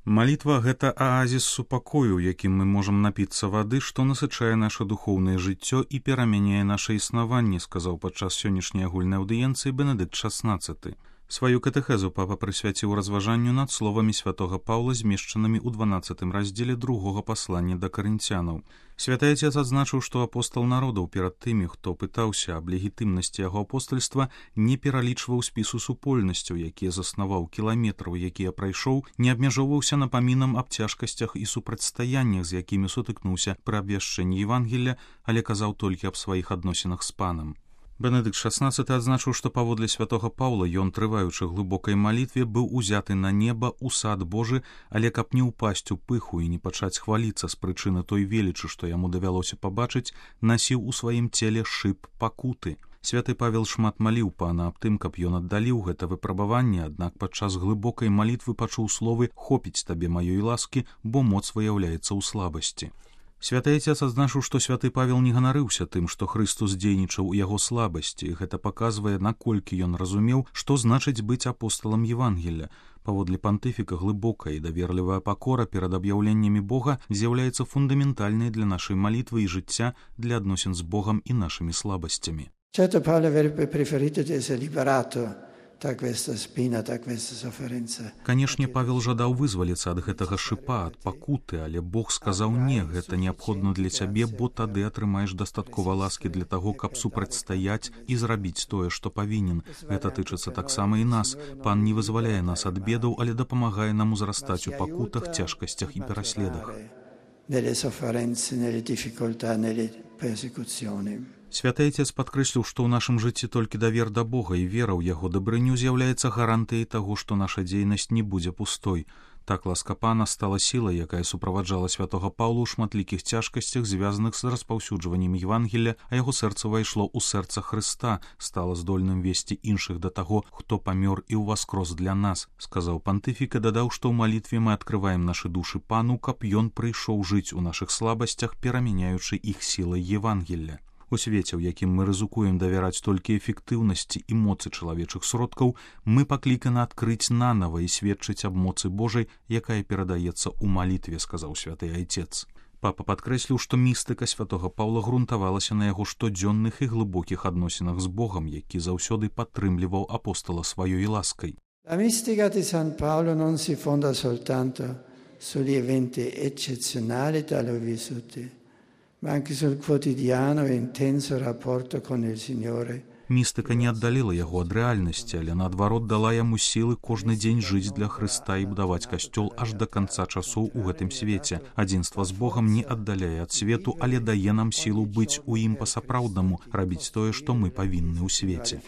Малітва – гэта аазіс супакою, у якім мы можам напіцца вады, што насычае наша духоўнае жыццё і перамяняе наша існаванне, сказаў падчас сённяшняй агульнай аўдыенцыі Бенедыкт XVI. Сваю катэхезу папа прысвяціў разважанню над словамі святога Паўла, змешчанымі ў 12 раздзеле другога паслання да карынцянаў. Святы Отец адзначыў, што апостал народаў перад тымі, хто пытаўся аб легітымнасці яго апостальства, не пералічваў спісу супольнасцяў, якія заснаваў, кіламетраў, якія прайшоў, не абмяжоўваўся напамінам аб цяжкасцях і супрацьстаяннях, з якімі сутыкнуўся пры абвяшчэнні Евангелля, але казаў толькі аб сваіх адносінах з панам. Бенедыкт XVI адзначыў, што паводле святога Паўла ён, трываючы глыбокай малітве, быў узяты на неба ў сад Божы, але каб не ўпасць у пыху і не пачаць хваліцца з прычыны той велічы, што яму давялося пабачыць, насіў у сваім целе шып пакуты. Святы Павел шмат маліў пана аб тым, каб ён аддаліў гэта выпрабаванне, аднак падчас глыбокай малітвы пачуў словы «Хопіць табе маёй ласкі, бо моц выяўляецца ў слабасці». Святы Отец адзначыў, што святы Павел не ганарыўся тым, што Хрыстус дзейнічаў у яго слабасці. Гэта паказвае, наколькі ён разумеў, што значыць быць апосталам Евангелля. Паводле пантыфіка глыбокая і даверлівая пакора перад аб'яўленнямі Бога з'яўляецца фундаментальнай для нашай малітвы і жыцця, для адносін з Богам і нашымі слабасцямі. Certo, Paolo avrebbe preferito di essere liberato da questa spina, da questa sofferenza. Канешне, Павел жадаў вызваліцца ад гэтага шыпа, ад пакуты, але Бог сказаў не, гэта неабходна для цябе, бо тады атрымаеш дастаткова ласкі для таго, каб супрацьстаяць і зрабіць тое, што павінен. Гэта тычыцца таксама і нас. Пан не вызваляе нас ад бедаў, але дапамагае нам узрастаць у пакутах, цяжкасцях і пераследах. Nelle sofferenze, nelle difficoltà, nelle persecuzioni. Святы Отец падкрэсліў, што ў нашым жыцці толькі давер да Бога і вера ў яго дабрыню з'яўляецца гарантыяй таго, што наша дзейнасць не будзе пустой. Так ласка Пана стала сілай, якая суправаджала святога Паўла ў шматлікіх цяжкасцях, звязаных з распаўсюджваннем Евангелля, а яго сэрца ўвайшло ў сэрца Хрыста, стала здольным весці іншых да таго, хто памёр і ўваскрос для нас, сказаў пантыфік і дадаў, што ў малітве мы адкрываем нашы душы Пану, каб ён прыйшоў жыць у нашых слабасцях, перамяняючы іх сілай Евангелля. У свеце, у якім мы рызыкуем давяраць толькі эфектыўнасці і моцы чалавечых сродкаў, мы пакліканы адкрыць нанава і сведчыць аб моцы Божай, якая перадаецца ў малітве, сказаў святы Отец. Папа падкрэсліў, што містыка святога Паўла грунтавалася на яго штодзённых і глыбокіх адносінах з Богам, які заўсёды падтрымліваў апостала сваёй ласкай. La mistica di San Paolo non si fonda soltanto sugli eventi eccezionali da lui vissuti, ma anche sul quotidiano e intenso rapporto con il Signore. Містыка не аддаліла яго ад рэальнасці, але наадварот дала яму сілы кожны дзень жыць для Хрыста і будаваць касцёл аж да канца часоў у гэтым свеце. Адзінства з Богам не аддаляе ад свету, але дае нам сілу быць у ім па-сапраўднаму, рабіць тое, што мы павінны ў свеце.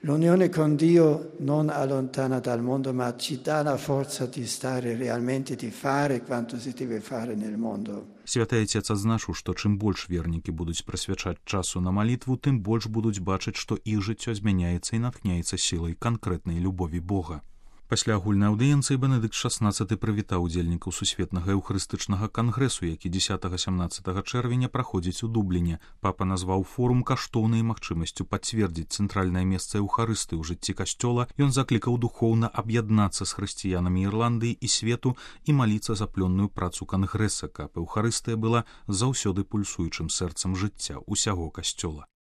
L'unione con Dio non allontana dal mondo, ma ci dà la forza di stare realmente, di fare quanto si deve fare nel mondo. Святы Отец адзначыў, што чым больш вернікі будуць прысвячаць часу на малітву, тым больш будуць бачыць, што іх жыццё змяняецца і натхняецца сілай канкрэтнай любові Бога. Пасля агульнай аўдыенцыі Бенедыкт XVI прывітаў удзельнікаў сусветнага эўхарыстычнага кангрэсу, які 10-17 чэрвеня праходзіць у Дубліне. Папа назваў форум каштоўнай магчымасцю пацвердзіць цэнтральнае месца эўхарысты ў жыцці касцёла. Ён заклікаў духоўна аб'яднацца з хрысціянамі Ірландыі і свету і маліцца за плённую працу кангрэса, каб эўхарыстыя была заўсёды пульсуючым сэрцам жыцця ўсяго касцёла.